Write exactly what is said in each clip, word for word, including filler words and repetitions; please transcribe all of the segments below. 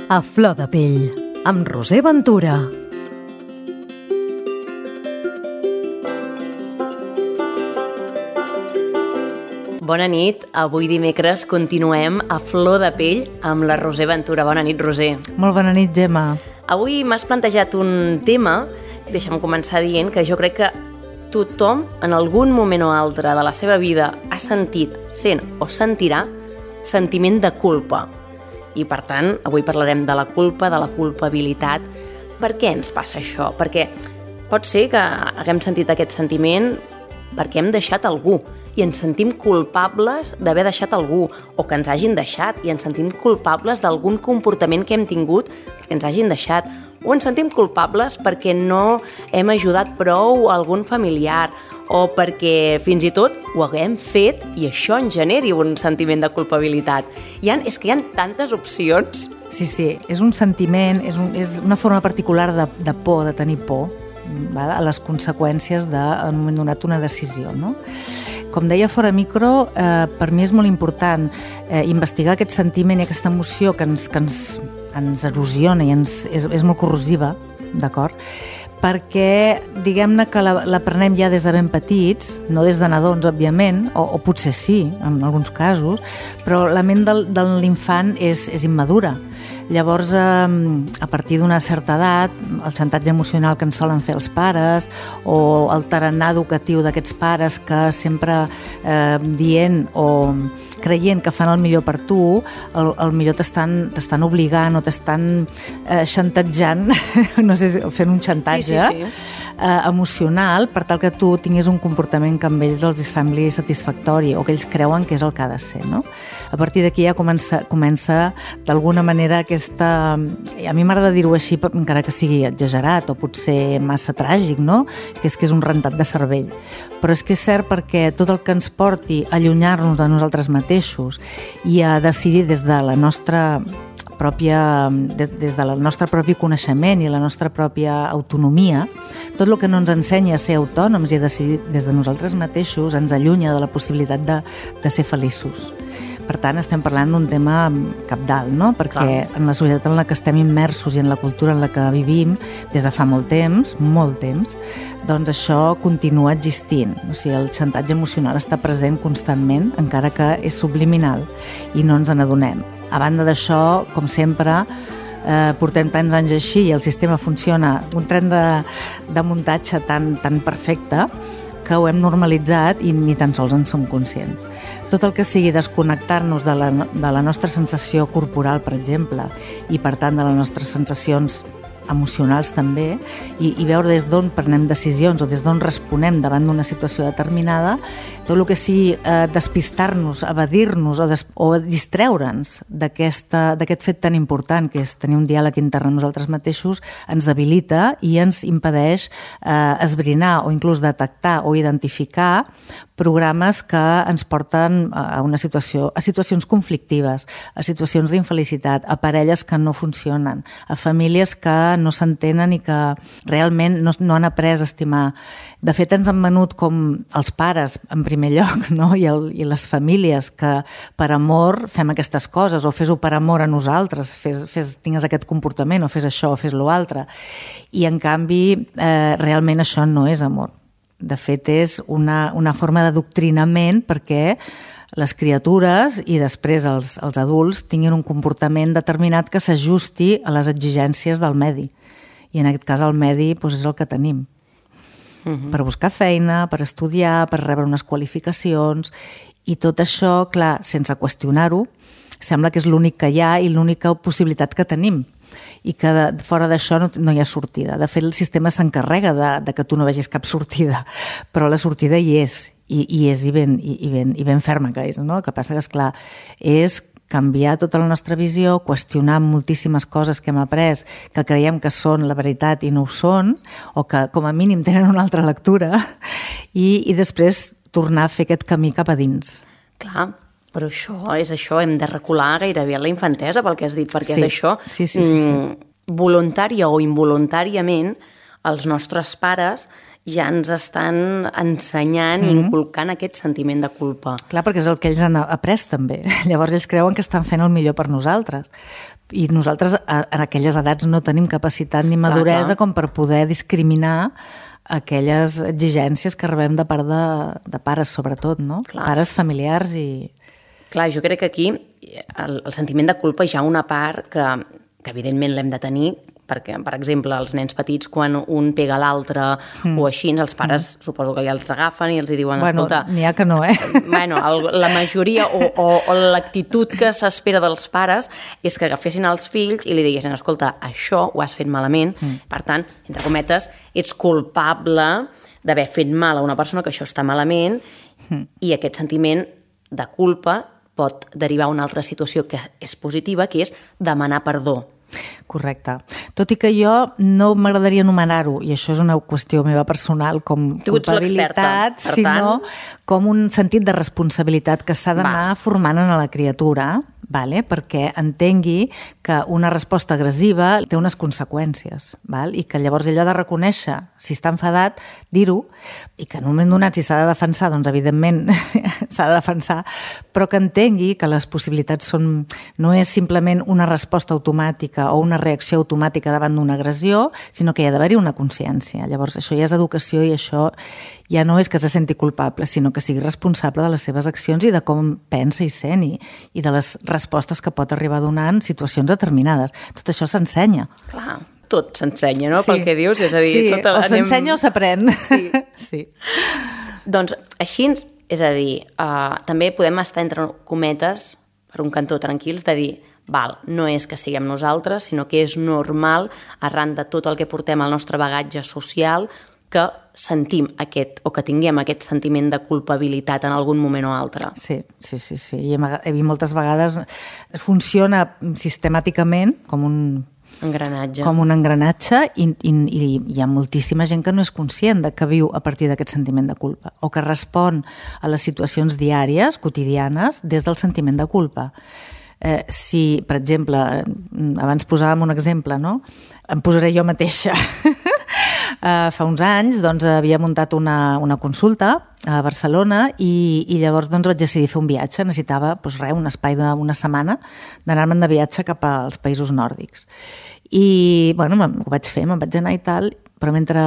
A flor de pell, amb Roser Ventura. Bona nit. Avui dimecres continuem a flor de pell amb la Roser Ventura. Bona nit, Roser. Molt bona nit, Gemma. Avui m'has plantejat un tema, deixa'm començar dient que jo crec que tothom en algun moment o altre de la seva vida ha sentit, sent o sentirà sentiment de culpa. I per tant, avui parlarem de la culpa, de la culpabilitat. Per què ens passa això? Perquè pot ser que haguem sentit aquest sentiment perquè hem deixat algú i ens sentim culpables d'haver deixat algú, o que ens hagin deixat i ens sentim culpables d'algun comportament que hem tingut perquè ens hagin deixat, o ens sentim culpables perquè no hem ajudat prou a algun familiar, o perquè fins i tot ho haguem fet i això ens generi un sentiment de culpabilitat. Hi ha, és que hi ha tantes opcions. Sí, sí, és un sentiment, és, un, és una forma particular de, de por, de tenir por, val? A les conseqüències de, en un moment donat, una decisió, no? Com deia fora micro, eh, per mi és molt important eh, investigar aquest sentiment i aquesta emoció que ens, que ens, ens erosiona i ens, és, és molt corrosiva, d'acord? Perquè, diguem-ne que l'aprenem ja des de ben petits, no des de nadons, òbviament, o, o potser sí, en alguns casos, però la ment del, de l'infant és, és immadura. Llavors, eh, a partir d'una certa edat, el xantatge emocional que ens solen fer els pares o el tarannà educatiu d'aquests pares que sempre eh, dient o creient que fan el millor per tu, el, el millor t'estan t'estan obligant o t'estan eh, xantatjant, no sé, fent un xantatge sí, sí, sí. Eh, emocional per tal que tu tinguis un comportament que amb ells els sembli satisfactori o que ells creuen que és el que ha de ser, no? A partir d'aquí ja comença, comença d'alguna manera aquesta... A mi m'agrada dir-ho així, encara que sigui exagerat o potser massa tràgic, no? Que és que és un rentat de cervell. Però és que és cert perquè tot el que ens porti a allunyar-nos de nosaltres mateixos i a decidir des de la nostra pròpia, des, des del nostre propi coneixement i la nostra pròpia autonomia, tot el que no ens ensenya a ser autònoms i a decidir des de nosaltres mateixos ens allunya de la possibilitat de, de ser feliços. Per tant, estem parlant d'un tema cabdal, no? Perquè Clar. En la societat en la que estem immersos i en la cultura en la que vivim des de fa molt temps, molt temps, doncs això continua existint. O sigui, el xantatge emocional està present constantment, encara que és subliminal i no ens n'adonem. A banda d'això, com sempre, eh, portem tants anys així i el sistema funciona un tren de, de muntatge tan, tan perfecte que ho hem normalitzat i ni tan sols en som conscients. Tot el que sigui desconnectar-nos de la, de la nostra sensació corporal, per exemple, i per tant de les nostres sensacions emocionals també, i, i veure des d'on prenem decisions o des d'on responem davant d'una situació determinada, tot el que sigui eh, despistar-nos, evadir-nos o, des, o distreure'ns d'aquest fet tan important que és tenir un diàleg intern amb nosaltres mateixos, ens debilita i ens impedeix eh, esbrinar o inclús detectar o identificar programes que ens porten a una situació, a situacions conflictives, a situacions d'infelicitat, a parelles que no funcionen, a famílies que no s'entenen i que realment no, no han après a estimar. De fet, ens han venut com els pares, en primer lloc, no? I, el, i les famílies que per amor fem aquestes coses, o fes-ho per amor a nosaltres, fes, fes, tingues aquest comportament, o fes això, o fes l'altre. I en canvi, eh, realment això no és amor. De fet, és una, una forma d'adoctrinament perquè les criatures i després els, els adults tinguin un comportament determinat que s'ajusti a les exigències del medi. I en aquest cas el medi doncs, és el que tenim. Uh-huh. Per buscar feina, per estudiar, per rebre unes qualificacions i tot això, clar, sense qüestionar-ho, sembla que és l'únic que hi ha i l'única possibilitat que tenim i que de, fora d'això no, no hi ha sortida. De fet, el sistema s'encarrega de, de que tu no vegis cap sortida, però la sortida hi és, i, i és i ben, i, i ben, i ben ferma que és, no? El que passa que, esclar, és canviar tota la nostra visió, qüestionar moltíssimes coses que hem après, que creiem que són la veritat i no ho són, o que com a mínim tenen una altra lectura, i, i després tornar a fer aquest camí cap a dins. Clar, però això és això, hem de recular gairebé a la infantesa pel que has dit, perquè sí, és això, sí, sí, sí, sí. voluntària o involuntàriament, els nostres pares ja ens estan ensenyant i inculcant aquest sentiment de culpa. Clar, perquè és el que ells han après també. Llavors ells creuen que estan fent el millor per nosaltres. I nosaltres en aquelles edats no tenim capacitat ni maduresa clar, clar. com per poder discriminar aquelles exigències que rebem de part de, de pares, sobretot, no? Clar. Pares familiars i... Clar, jo crec que aquí el, el sentiment de culpa hi ha una part que, que evidentment l'hem de tenir, perquè, per exemple, els nens petits, quan un pega l'altre mm. o així, els pares mm. suposo que ja els agafen i els hi diuen, bueno, escolta... n'hi ha que no, eh? Bueno, el, la majoria o, o, o l'actitud que s'espera dels pares és que agafessin els fills i li diguessin, escolta, això ho has fet malament, mm. per tant, entre cometes, ets culpable d'haver fet mal a una persona que això està malament mm. i aquest sentiment de culpa pot derivar a una altra situació que és positiva, que és demanar perdó. Correcte. Tot i que jo no m'agradaria anomenar-ho, i això és una qüestió meva personal, com culpabilitat, sinó com un sentit de responsabilitat que s'ha d'anar formant en la criatura, vale? Perquè entengui que una resposta agressiva té unes conseqüències, val? I que llavors ell ha de reconèixer, si està enfadat, dir-ho, i que en un moment donat, si s'ha de defensar, doncs evidentment s'ha de defensar, però que entengui que les possibilitats són, no és simplement una resposta automàtica o una reacció automàtica davant d'una agressió, sinó que hi ha d'haver-hi una consciència. Llavors, això ja és educació i això ja no és que se senti culpable, sinó que sigui responsable de les seves accions i de com pensa i sent i, i de les respostes que pot arribar a donar en situacions determinades. Tot això s'ensenya. Clar, tot s'ensenya, no? Sí. Pel que dius, és a dir... Sí, tot el... o s'ensenya anem... o s'aprèn. Sí. Sí. Doncs així, és a dir, uh, també podem estar entre cometes, per un cantó tranquils, de dir, val, no és que siguem nosaltres, sinó que és normal, arran de tot el que portem al nostre bagatge social, que sentim aquest, o que tinguem aquest sentiment de culpabilitat en algun moment o altre. Sí, sí, sí, sí. I he vist moltes vegades, funciona sistemàticament com un engranatge. Com un engranatge i, i, i hi ha moltíssima gent que no és conscient de que viu a partir d'aquest sentiment de culpa o que respon a les situacions diàries, quotidianes, des del sentiment de culpa. Eh, si, per exemple, abans posàvem un exemple, no? Em posaré jo mateixa. Uh, fa uns anys doncs, havia muntat una, una consulta a Barcelona i, i llavors doncs, vaig decidir fer un viatge. Necessitava doncs, res, un espai d'una setmana d'anar-me'n de viatge cap als països nòrdics. I bueno, ho vaig fer, me'n vaig anar i tal, però mentre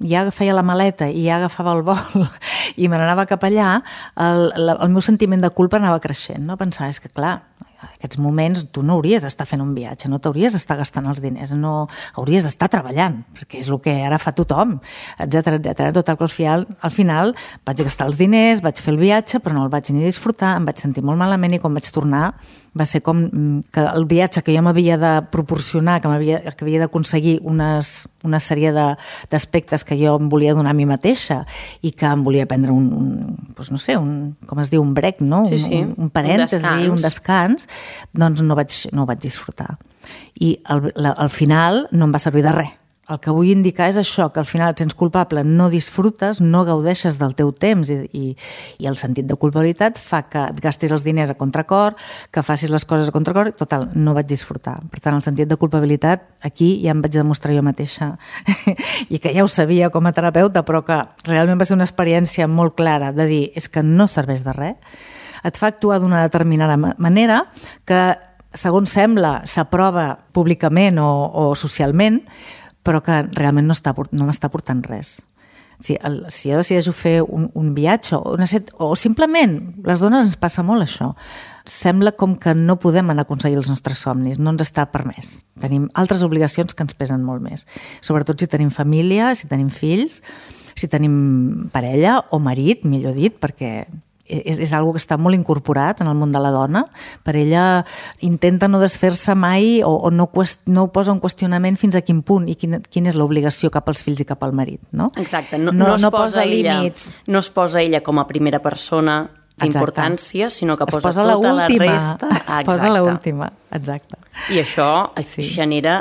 ja feia la maleta i ja agafava el vol i me n'anava cap allà, el, el, el meu sentiment de culpa anava creixent. No? Pensava, és que clar, en aquests moments tu no hauries d'estar fent un viatge, no t'hauries d'estar gastant els diners, no hauries d'estar treballant, perquè és el que ara fa tothom, etcètera, etcètera. Total que al final, al final vaig gastar els diners, vaig fer el viatge, però no el vaig ni disfrutar, em vaig sentir molt malament i quan vaig tornar va ser com que el viatge que jo m'havia de proporcionar, que, m'havia, que havia d'aconseguir unes, una sèrie d'aspectes que jo em volia donar a mi mateixa i que em volia prendre un, un doncs no sé, un, com es diu, un break, no? Sí, sí. Un, un parèntesi, un descans, un descans doncs no vaig, no ho vaig disfrutar. I al, la, al final no em va servir de res. El que vull indicar és això, que al final et sents culpable, no disfrutes, no gaudeixes del teu temps i, i, i el sentit de culpabilitat fa que et gastis els diners a contracor, que facis les coses a contracor, total, no vaig disfrutar. Per tant, el sentit de culpabilitat aquí ja em vaig demostrar jo mateixa i que ja ho sabia com a terapeuta, però que realment va ser una experiència molt clara de dir, és que no serveix de res, et fa actuar d'una determinada manera que, segons sembla, s'aprova públicament o, o socialment, però que realment no, està, no m'està portant res. Si, el, si jo decideixo fer un, un viatge o, una set, o simplement, les dones ens passa molt això, sembla com que no podem anar a aconseguir els nostres somnis, no ens està permès. Tenim altres obligacions que ens pesen molt més. Sobretot si tenim família, si tenim fills, si tenim parella o marit, millor dit, perquè és, és algo que està molt incorporat en el món de la dona. Per ella intenta no desfer-se mai o, o no, qüest, no posa un qüestionament fins a quin punt i quina, quina és l'obligació cap als fills i cap al marit. No? Exacte, no, no, no, es, no posa posa ella, límits. No es posa ella com a primera persona d'importància, sinó que posa, posa tota la resta. Es exacte. posa l'última, exacte. I això sí. genera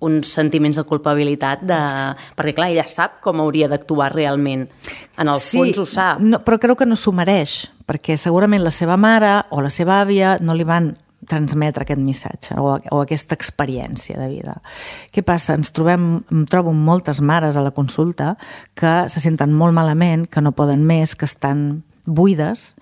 uns sentiments de culpabilitat, de... perquè clar, ella sap com hauria d'actuar realment. En el sí, fons ho sap. No, però creu que no s'ho mereix, perquè segurament la seva mare o la seva àvia no li van transmetre aquest missatge o, o aquesta experiència de vida. Què passa? Ens trobem, em trobo moltes mares a la consulta que se senten molt malament, que no poden més, que estan buides,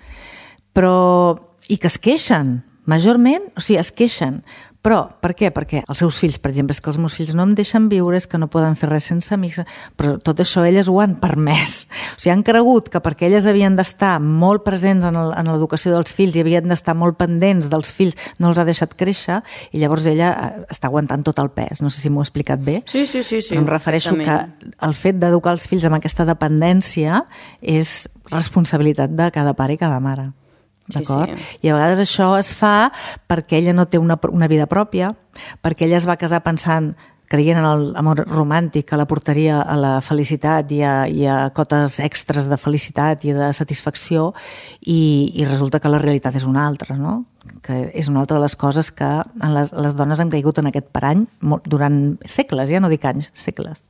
però i que es queixen, majorment, o sigui, es queixen. Però, per què? Perquè els seus fills, per exemple, és que els meus fills no em deixen viure, és que no poden fer res sense amics, però tot això elles ho han permès. O sigui, han cregut que perquè elles havien d'estar molt presents en l'educació dels fills i havien d'estar molt pendents dels fills, no els ha deixat créixer, i llavors ella està aguantant tot el pes. No sé si m'ho he explicat bé. Sí, sí, sí. sí em refereixo que el fet d'educar els fills amb aquesta dependència és responsabilitat de cada pare i cada mare. D'acord? Sí, sí. I a vegades això es fa perquè ella no té una, una vida pròpia, perquè ella es va casar pensant, creient en l'amor romàntic, que la portaria a la felicitat i a, i a cotes extres de felicitat i de satisfacció, i, i resulta que la realitat és una altra, no? Que és una altra de les coses que les, les dones han caigut en aquest parany durant segles, ja no dic anys, segles.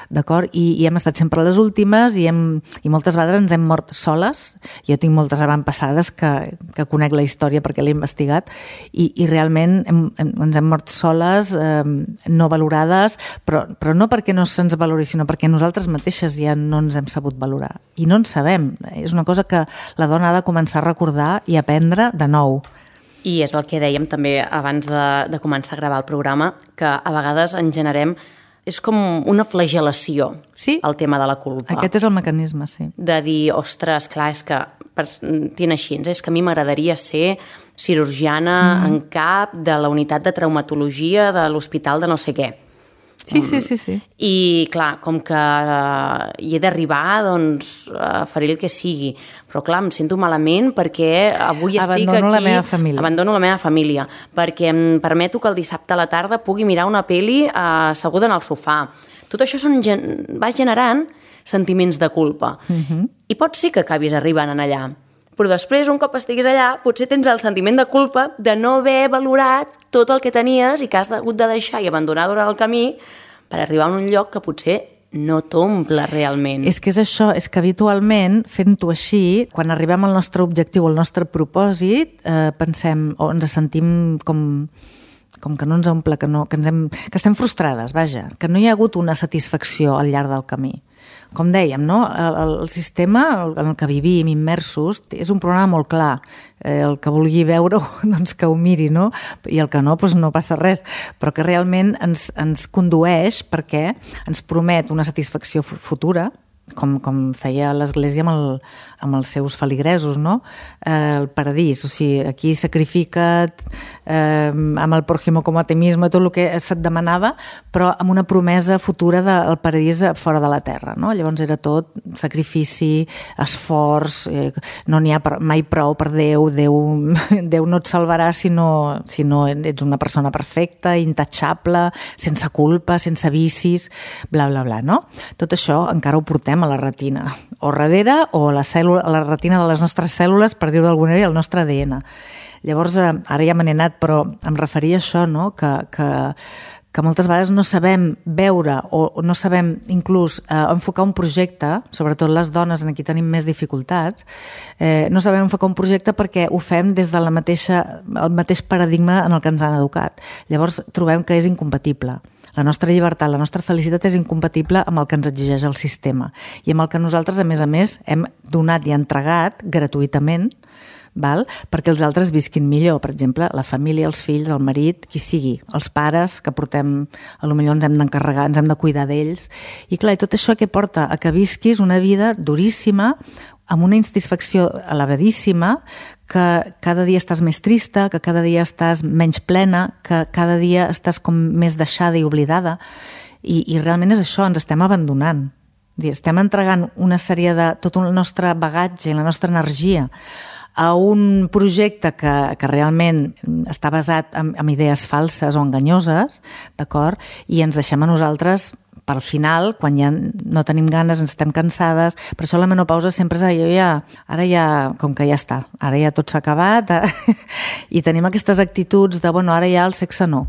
D'acord? I, i hem estat sempre les últimes i, hem, i moltes vegades ens hem mort soles. Jo tinc moltes avantpassades que, que conec la història perquè l'he investigat i, i realment hem, hem, ens hem mort soles, eh, no valorades, però, però no perquè no se'ns valori, sinó perquè nosaltres mateixes ja no ens hem sabut valorar. I no en sabem. És una cosa que la dona ha de començar a recordar i aprendre de nou. I és el que dèiem també abans de, de començar a gravar el programa, que a vegades en generem, és com una flagel·lació, sí? El tema de la culpa. Aquest és el mecanisme, sí. De dir, ostres, clar, és que partint així, és que a mi m'agradaria ser cirurgiana mm. en cap de la unitat de traumatologia de l'hospital de no sé què. Sí, sí, sí, sí. I, clar, com que uh, hi he d'arribar, doncs, uh, faré el que sigui. Però, clar, em sento malament perquè avui estic aquí... Abandono la meva família. Abandono la meva família. Perquè em permeto que el dissabte a la tarda pugui mirar una peli uh, asseguda en el sofà. Tot això són, va generant sentiments de culpa. Uh-huh. I pot ser que acabis arribant en allà. Però després, un cop estiguis allà, potser tens el sentiment de culpa de no haver valorat tot el que tenies i que has hagut de deixar i abandonar durant el camí per arribar a un lloc que potser no t'omple realment. És que és això, és que habitualment, fent-ho així, quan arribem al nostre objectiu, al nostre propòsit, eh, pensem o ens sentim com... com que no ens omple, que, no, que, ens hem, que estem frustrades, vaja, que no hi ha hagut una satisfacció al llarg del camí. Com dèiem, no? el, el sistema en el que vivim immersos és un programa molt clar. Eh, el que vulgui veure-ho, doncs que ho miri, no? I el que no, doncs no passa res. Però que realment ens, ens condueix perquè ens promet una satisfacció futura, com, com feia l'Església amb, el, amb els seus feligresos, no? Eh, el paradís, o sigui, aquí sacrifica't eh, amb el prójimo com a ti mismo, tot el que se't demanava, però amb una promesa futura del paradís fora de la terra, no? Llavors era tot sacrifici, esforç, eh, no n'hi ha mai prou per Déu, Déu, Déu no et salvarà si no, si no ets una persona perfecta, intachable, sense culpa, sense vicis, bla, bla, bla, no? Tot això encara ho portem a la retina, o darrere o a la, cèl·lula, a la retina de les nostres cèl·lules, per dir-ho d'alguna manera, el nostre A D N. Llavors, ara ja me n'he anat, però em referia a això, no? que, que, que moltes vegades no sabem veure o no sabem inclús eh, enfocar un projecte, sobretot les dones en qui tenim més dificultats, eh, no sabem enfocar un projecte perquè ho fem des de la mateixa, el mateix paradigma en el que ens han educat. Llavors trobem que és incompatible. La nostra llibertat, la nostra felicitat és incompatible amb el que ens exigeix el sistema i amb el que nosaltres, a més a més, hem donat i entregat gratuïtament, val? Perquè els altres visquin millor. Per exemple, la família, els fills, el marit, qui sigui, els pares, que portem, potser ens hem d'encarregar, ens hem de cuidar d'ells. I clar, i tot això que porta a que visquis una vida duríssima, amb una insatisfacció elevadíssima, que cada dia estàs més trista, que cada dia estàs menys plena, que cada dia estàs com més deixada i oblidada. I, i realment és això, ens estem abandonant. Estem entregant una sèrie de... tot el nostre bagatge i la nostra energia a un projecte que, que realment està basat en, en idees falses o enganyoses, d'acord? I ens deixem a nosaltres pel final, quan ja no tenim ganes, ens estem cansades. Per això la menopausa sempre és jo ja, ara ja, com que ja està, ara ja tot s'ha acabat, i tenim aquestes actituds de, bueno, ara ja el sexe no.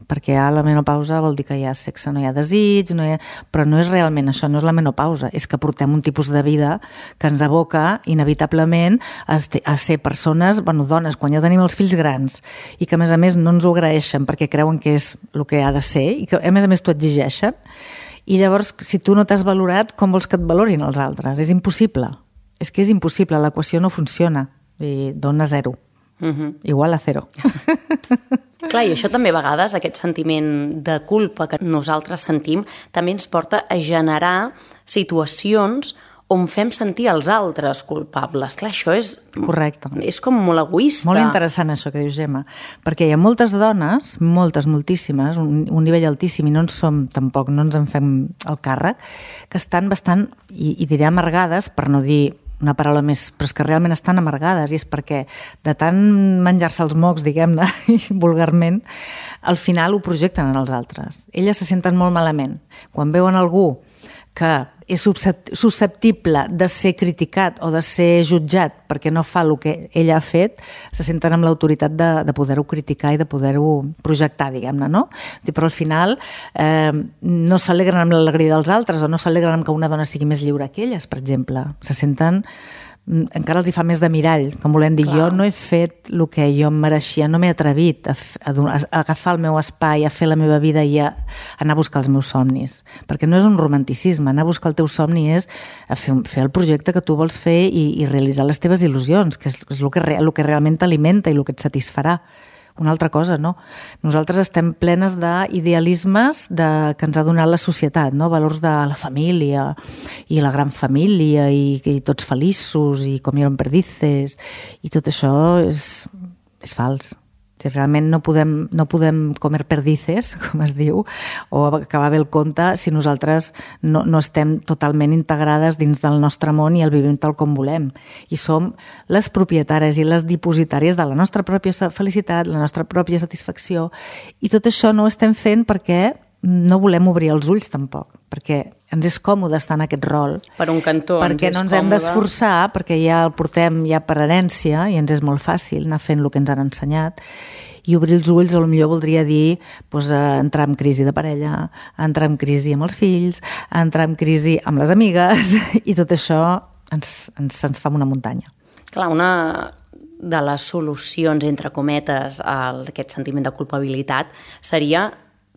perquè ja la menopausa vol dir que hi ha sexe, no hi ha desig, no hi ha... però no és realment això, no és la menopausa, és que portem un tipus de vida que ens aboca inevitablement a, a ser persones, bueno, dones, quan ja tenim els fills grans, i que a més a més no ens ho agraeixen perquè creuen que és el que ha de ser, i que a més a més t'ho exigeixen, i llavors, si tu no t'has valorat, com vols que et valorin els altres? És impossible. És que és impossible, l'equació no funciona. I dona zero. Uh-huh. Igual a zero. Clar, i això també a vegades, aquest sentiment de culpa que nosaltres sentim, també ens porta a generar situacions on fem sentir els altres culpables. Clar, això és... Correcte. És com molt egoista. Molt interessant això que dius, Gemma, perquè hi ha moltes dones, moltes, moltíssimes, un, un nivell altíssim, i no en som tampoc, no ens en fem el càrrec, que estan bastant, i, i diré amargades, per no dir una paraula més, però és que realment estan amargades, i és perquè de tant menjar-se els mocs, diguem-ne, vulgarment, al final ho projecten en els altres. Elles se senten molt malament. Quan veuen algú que és susceptible de ser criticat o de ser jutjat perquè no fa el que ella ha fet, se senten amb l'autoritat de, de poder-ho criticar i de poder-ho projectar, diguem-ne, no? Però al final eh, no s'alegren amb l'alegria dels altres o no s'alegren amb que una dona sigui més lliure que elles, per exemple. Se senten... encara els hi fa més de mirall, com volem dir, Clar. Jo no he fet el que jo em mereixia, no m'he atrevit a, a, a agafar el meu espai, a fer la meva vida i a, a anar a buscar els meus somnis, perquè no és un romanticisme, anar a buscar el teu somni és a fer, fer el projecte que tu vols fer i, i realitzar les teves il·lusions, que és, és el, que, el que realment t'alimenta i el que et satisfarà. Una altra cosa, no? Nosaltres estem plenes d'idealismes de, que ens ha donat la societat, no? Valors de la família i la gran família i, i tots feliços i comieron perdices i tot això és, és fals. Si realment no podem, no podem comer perdices, com es diu, o acabar bé el conte si nosaltres no, no estem totalment integrades dins del nostre món i el vivim tal com volem. I som les propietàries i les dipositàries de la nostra pròpia felicitat, la nostra pròpia satisfacció, i tot això no ho estem fent perquè no volem obrir els ulls tampoc, perquè ens és còmode estar en aquest rol. Per un cantó ens és perquè no ens hem d'esforçar, perquè ja el portem ja per herència i ens és molt fàcil anar fent el que ens han ensenyat, i obrir els ulls potser voldria dir doncs, entrar en crisi de parella, entrar en crisi amb els fills, entrar en crisi amb les amigues, i tot això ens, ens, ens fa una muntanya. Clar, una de les solucions, entre cometes, a aquest sentiment de culpabilitat seria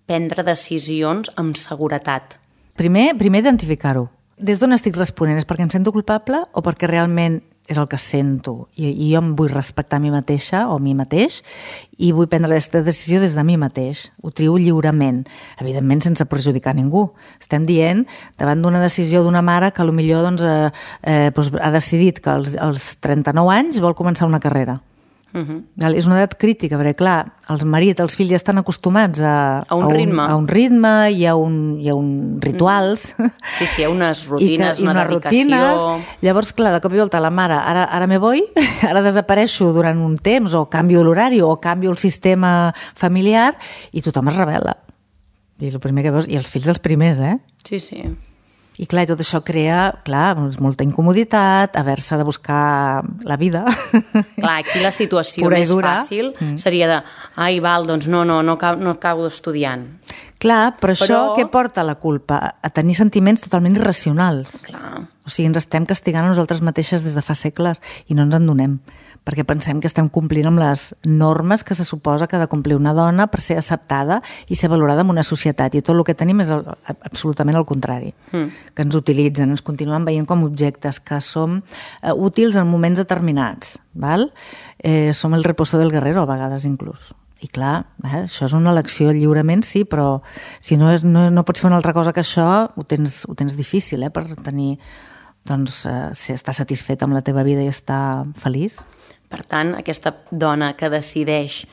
prendre decisions amb seguretat. Primer, primer identificar-ho. Des d'on estic responent? És perquè em sento culpable o perquè realment és el que sento? I, i jo em vull respectar a mi mateixa o a mi mateix i vull prendre aquesta decisió des de mi mateix. Ho trio lliurement, evidentment sense perjudicar ningú. Estem dient, davant d'una decisió d'una mare que potser doncs, eh, eh, doncs, ha decidit que als, als trenta-nou anys vol començar una carrera. Uh-huh. És una edat crítica, perquè clar, els marits, els fills ja estan acostumats a, a, un, a, un, ritme. a un ritme i a un, i a un rituals. Sí, sí, hi ha unes rutines, I que, una i dedicació... Rutines. Llavors, clar, de cop i volta la mare, ara, ara me voy, ara desapareixo durant un temps, o canvio l'horari, o canvio el sistema familiar, i tothom es rebel·la. I, el primer que veus, i els fills els primers, eh? Sí, sí. I clar, tot això crea, clar, molta incomoditat, haver-se de buscar la vida. Clar, aquí la situació més fàcil mm. seria de, ai, val, doncs no, no, no, no acabo estudiant. Clar, però, però això què porta la culpa? A tenir sentiments totalment irracionals. Clar. O sigui, ens estem castigant a nosaltres mateixes des de fa segles i no ens en donem, perquè pensem que estem complint amb les normes que se suposa que ha de complir una dona per ser acceptada i ser valorada en una societat. I tot el que tenim és el, absolutament el contrari. Mm. Que ens utilitzen, ens continuen veient com objectes, que som eh, útils en moments determinats. Val? Eh, som el reposo del guerrero, a vegades inclús. I clar, eh, això és una elecció lliurement, sí, però si no, és, no, no pots fer una altra cosa que això, ho tens, ho tens difícil, eh, per tenir, doncs, eh, si estar satisfet amb la teva vida i estar feliç. Per tant, aquesta dona que decideix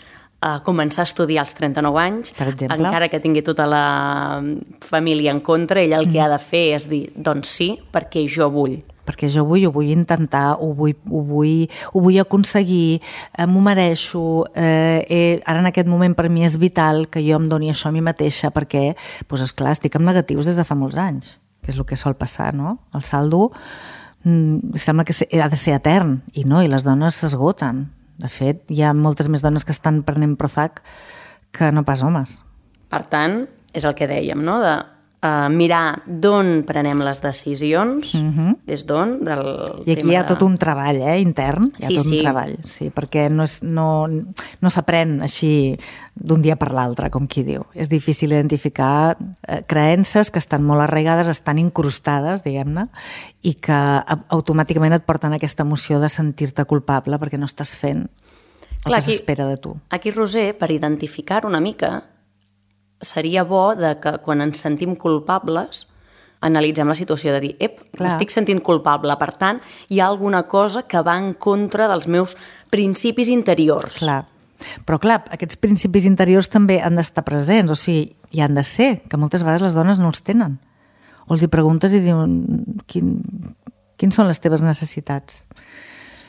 uh, començar a estudiar als trenta-nou anys, per exemple, encara que tingui tota la família en contra, ella el que mm. ha de fer és dir, doncs sí, perquè jo vull. Perquè jo vull, ho vull intentar, ho vull, ho vull, ho vull aconseguir, eh, m'ho mereixo, eh, eh, ara en aquest moment per mi és vital que jo em doni això a mi mateixa, perquè, doncs esclar, estic amb negatius des de fa molts anys, que és el que sol passar, no? El saldo mm, sembla que ha de ser etern, i no, i les dones s'esgoten. De fet, hi ha moltes més dones que estan prenent Prozac que no pas homes. Per tant, és el que dèiem, no? De uh, mirar d'on prenem les decisions, uh-huh. des d'on, del I aquí tema hi ha de... tot un treball, eh, intern. Hi ha sí, tot sí. un treball, sí, perquè no, és, no, no s'aprèn així d'un dia per l'altre, com qui diu. És difícil identificar eh, creences que estan molt arraigades, estan incrustades, diguem-ne, i que automàticament et porten aquesta emoció de sentir-te culpable perquè no estàs fent el Clar, que s'espera de tu. Aquí, Roser, per identificar una mica, seria bo de que quan ens sentim culpables analitzem la situació de dir, ep, m'estic sentint culpable, per tant, hi ha alguna cosa que va en contra dels meus principis interiors. Clar. Però clar, aquests principis interiors també han d'estar presents, o sigui, hi han de ser, que moltes vegades les dones no els tenen. O els hi preguntes i diuen, Quin, quins són les teves necessitats?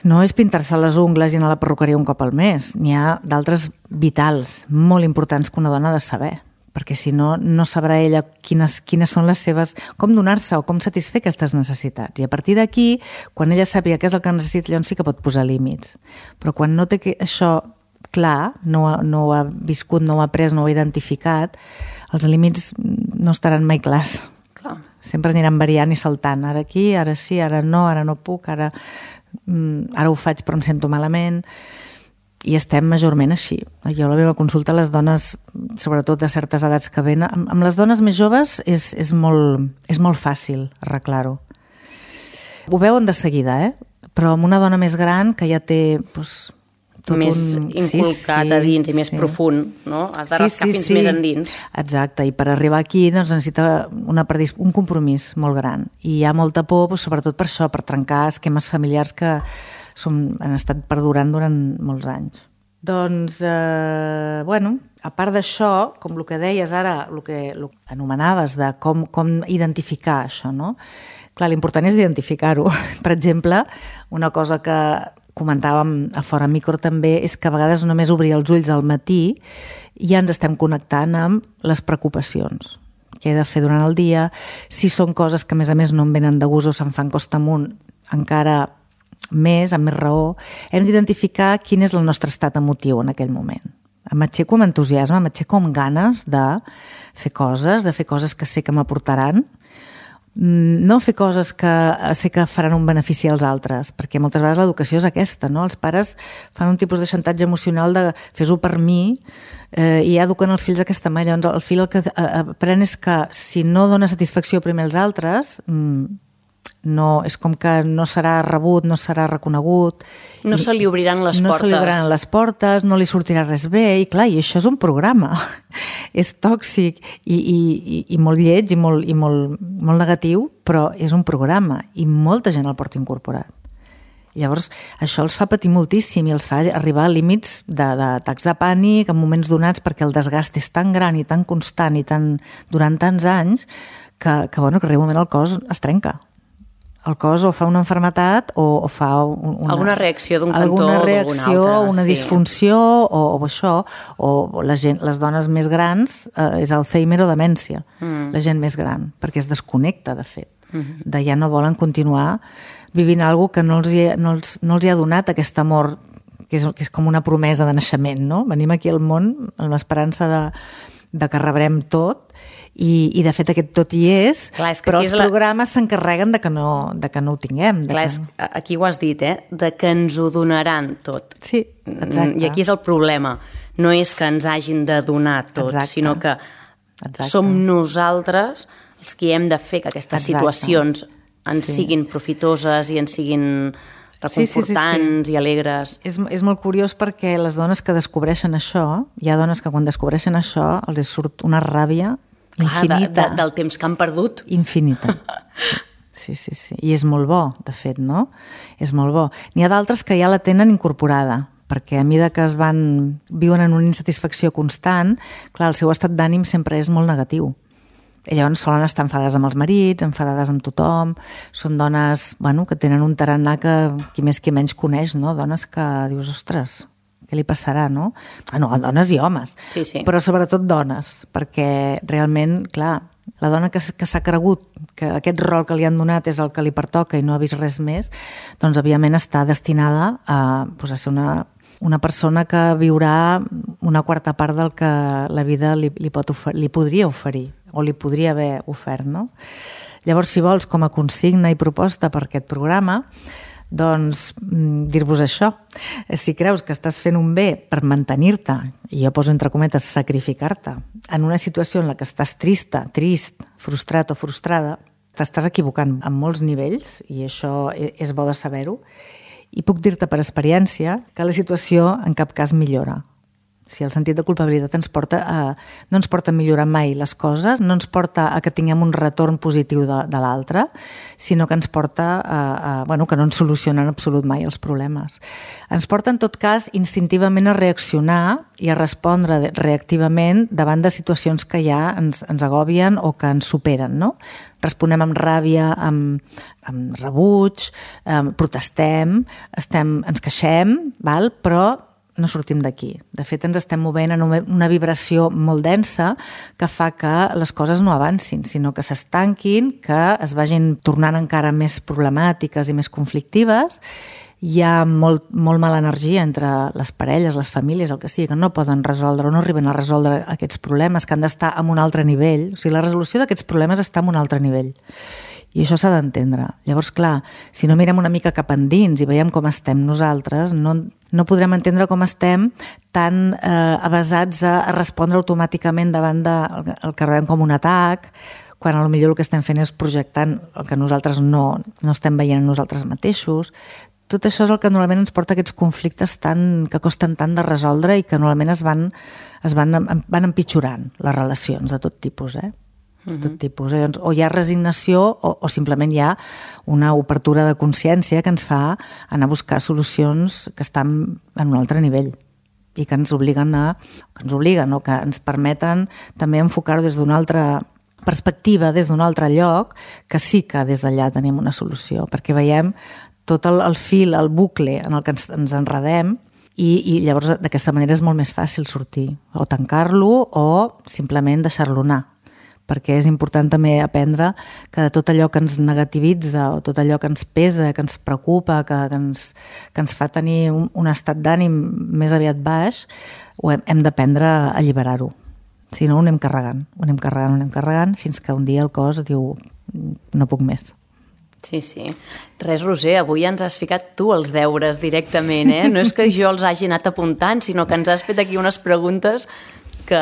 No és pintar-se les ungles i anar a la perruqueria un cop al mes. N'hi ha d'altres vitals, molt importants que una dona ha de saber, perquè si no, no sabrà ella quines, quines són les seves... com donar-se o com satisfer aquestes necessitats. I a partir d'aquí, quan ella sàpiga què és el que necessita, llavors sí que pot posar límits. Però quan no té això clar, no, no ho ha viscut, no ho ha après, no ho ha identificat, els límits no estaran mai clars. Clar. Sempre aniran variant i saltant. Ara aquí, ara sí, ara no, ara no puc, ara... ara ho faig però em sento malament, i estem majorment així. Jo a la meva consulta, les dones, sobretot de certes edats que venen, amb les dones més joves és, és, molt, és molt fàcil arreglar-ho. Ho veuen de seguida, eh? Però amb una dona més gran que ja té doncs, tot més un... inculcat sí, sí, a dins i més sí. profund, no? Has de rascar sí, sí, fins sí. més endins. Exacte, i per arribar aquí doncs, necessita una predis... un compromís molt gran. I hi ha molta por, doncs, sobretot per això, per trencar esquemes familiars que som, han estat perdurant durant molts anys. Doncs, eh, bueno, a part d'això, com el que deies ara, el que, el que anomenaves de com, com identificar això, no? Clar, l'important és identificar-ho. Per exemple, una cosa que comentàvem a fora micro també és que a vegades només obrir els ulls al matí i ja ens estem connectant amb les preocupacions que he de fer durant el dia, si són coses que a més a més no em venen de gust o se'n fan costa amunt encara més, amb més raó, hem d'identificar quin és el nostre estat emotiu en aquell moment. M'aixeco amb entusiasme, m'aixeco amb ganes de fer coses, de fer coses que sé que m'aportaran, no fer coses que sé que faran un benefici als altres, perquè moltes vegades l'educació és aquesta, no? Els pares fan un tipus de xantatge emocional de fes-ho per mi eh, i ja eduquen els fills d'aquesta manera. Llavors el fill el que aprèn és que si no dona satisfacció primer als altres, no, és com que no serà rebut, no serà reconegut. No se li obriran les no portes. No se li obriran les portes, no li sortirà res bé, i clar, i això és un programa. És tòxic i, i, i molt lleig i, molt, i molt, molt negatiu, però és un programa i molta gent el porta incorporat. Llavors, això els fa patir moltíssim i els fa arribar a límits d'atacs de, de pànic en moments donats perquè el desgast és tan gran i tan constant i tan, durant tants anys que, que, bueno, que arriba un moment el cos es trenca. El cos o fa una malaltia o, o fa una... Alguna reacció d'un cantó alguna reacció, o d'algun altre. Una sí. disfunció o, o això, o la gent, les dones més grans eh, és Alzheimer o demència, mm. la gent més gran, perquè es desconnecta, de fet. Mm-hmm. De ja no volen continuar vivint alguna cosa que no els, hi, no, els, no els hi ha donat aquest amor, que és, que és com una promesa de naixement, no? Venim aquí al món amb l'esperança de, de que rebrem tot, I, i de fet aquest tot hi és, Clar, és però els la... programes s'encarreguen de, que no, de que no ho tinguem. Clar, que... és, aquí ho has dit, eh? De que ens ho donaran tot. Sí, exacte. I aquí és el problema. No és que ens hagin de donar tot, exacte. Sinó que exacte. Som nosaltres els que hem de fer que aquestes exacte. Situacions ens sí. siguin profitoses i ens siguin reconfortants sí, sí, sí, sí. i alegres. És, és molt curiós perquè les dones que descobreixen això, hi ha dones que quan descobreixen això els surt una ràbia infinita. Clar, de, de, del temps que han perdut. Infinita. Sí, sí, sí. I és molt bo, de fet, no? És molt bo. N'hi ha d'altres que ja la tenen incorporada, perquè a mesura que es van viuen en una insatisfacció constant, clar, el seu estat d'ànim sempre és molt negatiu. I llavors solen estar enfadades amb els marits, enfadades amb tothom, són dones, bueno, que tenen un tarannà que qui més qui menys coneix, no? Dones que dius, ostres, què li passarà, no? Ah, no, dones i homes, sí, sí. Però sobretot dones, perquè realment, clar, la dona que, que s'ha cregut que aquest rol que li han donat és el que li pertoca i no ha vist res més, doncs, òbviament, està destinada a, doncs, a ser una, una persona que viurà una quarta part del que la vida li, li, pot ofer- li podria oferir o li podria haver ofert, no? Llavors, si vols, com a consigna i proposta per aquest programa, doncs dir-vos això. Si creus que estàs fent un bé per mantenir-te, i jo poso entre cometes sacrificar-te, en una situació en la que estàs trista, trist, frustrat o frustrada, t'estàs equivocant en molts nivells, i això és bo de saber-ho, i puc dir-te per experiència que la situació en cap cas millora. Si el sentit de culpabilitat ens porta a, no ens porta a millorar mai les coses, no ens porta a que tinguem un retorn positiu de, de l'altre, sinó que ens porta a, a bueno, que no ens solucionen en absolut mai els problemes. Ens porta, en tot cas, instintivament a reaccionar i a respondre reactivament davant de situacions que ja ens, ens agobien o que ens superen, no? Responem amb ràbia, amb, amb rebuig, eh, protestem, estem, ens queixem, val? Però no sortim d'aquí. De fet, ens estem movent en una vibració molt densa que fa que les coses no avancin, sinó que s'estanquin, que es vagin tornant encara més problemàtiques i més conflictives. Hi ha molt, molt mala energia entre les parelles, les famílies, el que sigui, que no poden resoldre o no arriben a resoldre aquests problemes, que han d'estar en un altre nivell. O sigui, la resolució d'aquests problemes està en un altre nivell. I això s'ha d'entendre. Llavors, clar, si no mirem una mica cap endins i veiem com estem nosaltres, no, no podrem entendre com estem tan eh, avasats a, a respondre automàticament davant del de, el que rebem com un atac, quan potser el que estem fent és projectant el que nosaltres no, no estem veient en nosaltres mateixos. Tot això és el que normalment ens porta a aquests conflictes tan, que costen tant de resoldre i que normalment es van, es van, van empitjorant les relacions de tot tipus, eh? De tot tipus. Doncs, o hi ha resignació o, o simplement hi ha una obertura de consciència que ens fa anar a buscar solucions que estan en un altre nivell i que ens obliguen a, que ens obliguen o que ens permeten també enfocar-ho des d'una altra perspectiva, des d'un altre lloc, que sí que des d'allà tenim una solució, perquè veiem tot el, el fil, el bucle en el que ens, ens enredem i, i llavors d'aquesta manera és molt més fàcil sortir, o tancar-lo o simplement deixar-lo anar, perquè és important també aprendre que tot allò que ens negativitza o tot allò que ens pesa, que ens preocupa, que, que, ens, que ens fa tenir un, un estat d'ànim més aviat baix, ho hem, hem d'aprendre a alliberar-ho. Si no, ho anem carregant, ho anem carregant, ho anem carregant, fins que un dia el cos diu no puc més. Sí, sí. Res, Roser, avui ens has ficat tu els deures directament, eh? No és que jo els hagi anat apuntant, sinó que ens has fet aquí unes preguntes que...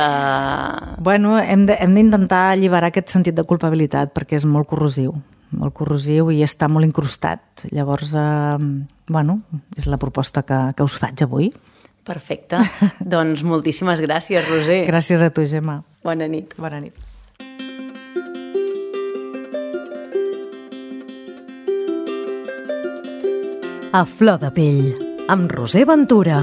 Bueno, hem de, hem d'intentar alliberar aquest sentit de culpabilitat perquè és molt corrosiu, molt corrosiu i està molt incrustat. Llavors, eh, bueno, és la proposta que, que us faig avui. Perfecte. Doncs moltíssimes gràcies, Roser. Gràcies a tu, Gemma. Bona nit. Bona nit. A flor de pell, amb Roser Ventura.